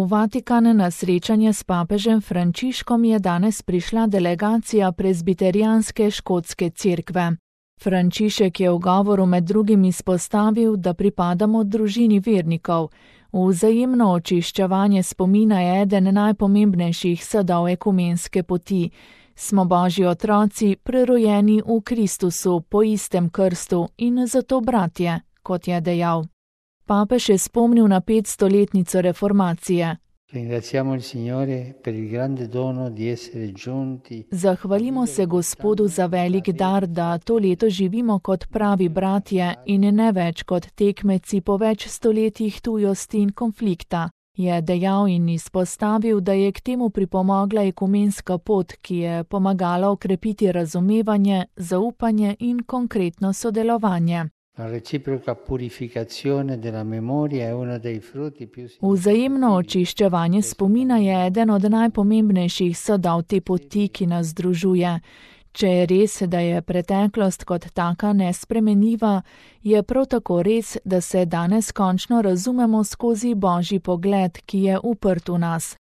V Vatikan na srečanje s papežem Frančiškom je danes prišla delegacija prezbiterijanske škotske cerkve. Frančišek je v govoru med drugim izpostavil, da pripadamo družini vernikov. Vzajemno očiščevanje spomina je eden najpomembnejših sadov ekumenske poti. Smo Božji otroci, prerojeni v Kristusu po istem krstu in zato bratje, kot je dejal. Papež je spomnil na 500-letnico reformacije. Zahvalimo se Gospodu za velik dar, da to leto živimo kot pravi bratje in ne več kot tekmeci po več stoletjih tujosti in konflikta, je dejal in izpostavil, da je k temu pripomogla ekumenska pot, ki je pomagala okrepiti razumevanje, zaupanje in konkretno sodelovanje. Vzajemno očiščevanje spomina je eden od najpomembnejših sadov te poti, ki nas združuje. Če je res, da je preteklost kot taka nespremenljiva, je prav tako res, da se danes končno razumemo skozi Božji pogled, ki je uprt v nas.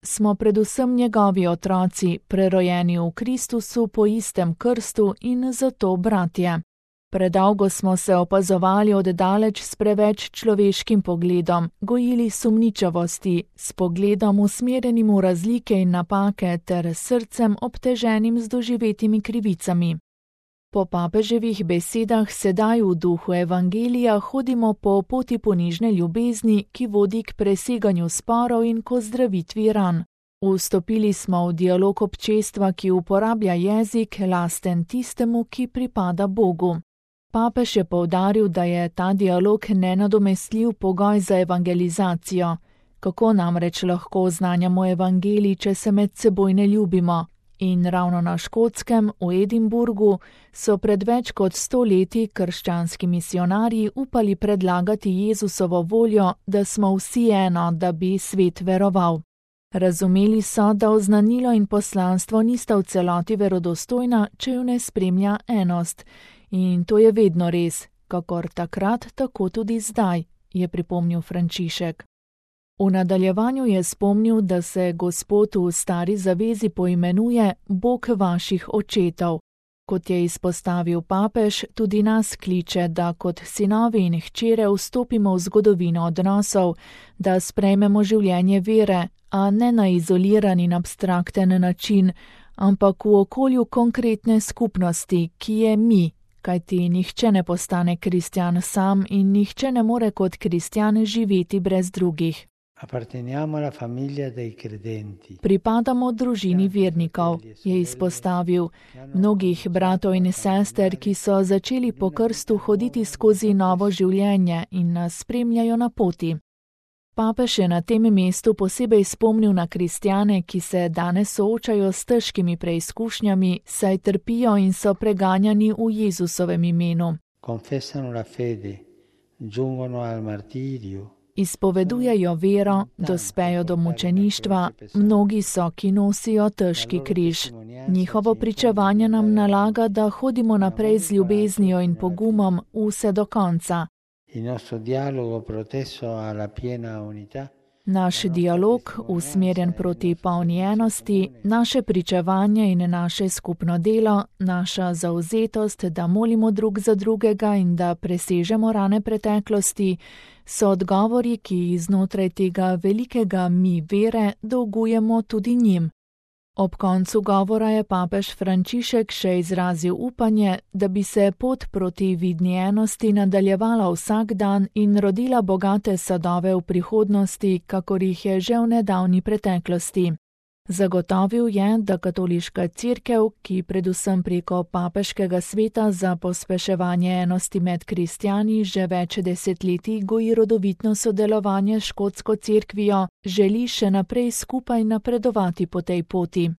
Smo predvsem njegovi otroci, prerojeni v Kristusu po istem krstu in zato bratje. Predolgo smo se opazovali oddaleč s preveč človeškim pogledom, gojili sumničavosti, s pogledom usmerjenim v razlike in napake ter srcem obteženim z doživetimi krivicami. Po papeževih besedah sedaj v duhu evangelija hodimo po poti ponižne ljubezni, ki vodi k preseganju sporov in k ozdravitvi ran. Vstopili smo v dialog občestva, ki uporablja jezik, lasten tistemu, ki pripada Bogu. Papež je poudaril, da je ta dialog nenadomestljiv pogoj za evangelizacijo. Kako namreč lahko oznanjamo evangelij, če se med seboj ne ljubimo? In ravno na Škotskem, v Edinburgu, so pred več kot 100 leti krščanski misionarji upali predlagati Jezusovo voljo, da smo vsi eno, da bi svet veroval. Razumeli so, da oznanilo in poslanstvo nista v celoti verodostojna, če ju ne spremlja enost. In to je vedno res, kakor takrat, tako tudi zdaj, je pripomnil Frančišek. V nadaljevanju je spomnil, da se Gospod v stari zavezi poimenuje Bog vaših očetov. Kot je izpostavil papež, tudi nas kliče, da kot sinovi in hčere vstopimo v zgodovino odnosov, da sprejmemo življenje vere, a ne na izoliran in abstrakten način, ampak v okolju konkretne skupnosti, ki je mi. Kajti nihče ne postane kristjan sam in nihče ne more kot kristjan živeti brez drugih. Pripadamo družini vernikov, je izpostavil, mnogih bratov in sester, ki so začeli po krstu hoditi skozi novo življenje in nas spremljajo na poti. Papež je na tem mestu posebej spomnil na kristjane, ki se danes soočajo s težkimi preizkušnjami, saj trpijo in so preganjani v Jezusovem imenu. Izpovedujejo vero, dospejo do mučeništva, mnogi so, ki nosijo težki križ. Njihovo pričevanje nam nalaga, da hodimo naprej z ljubeznijo in pogumom vse do konca. Naš dialog, usmerjen proti polni enosti, naše pričevanje in naše skupno delo, naša zavzetost, da molimo drug za drugega in da presežemo rane preteklosti, so odgovori, ki jih znotraj tega velikega mi vere dolgujemo tudi njim. Ob koncu govora je papež Frančišek še izrazil upanje, da bi se pot proti vidni enosti nadaljevala vsak dan in rodila bogate sadove v prihodnosti, kakor jih je že v nedavni preteklosti. Zagotovil je, da katoliška cerkev, ki predvsem preko papeškega sveta za pospeševanje enosti med kristjani že več desetletij goji rodovitno sodelovanje s škotsko cerkvijo, želi še naprej skupaj napredovati po tej poti.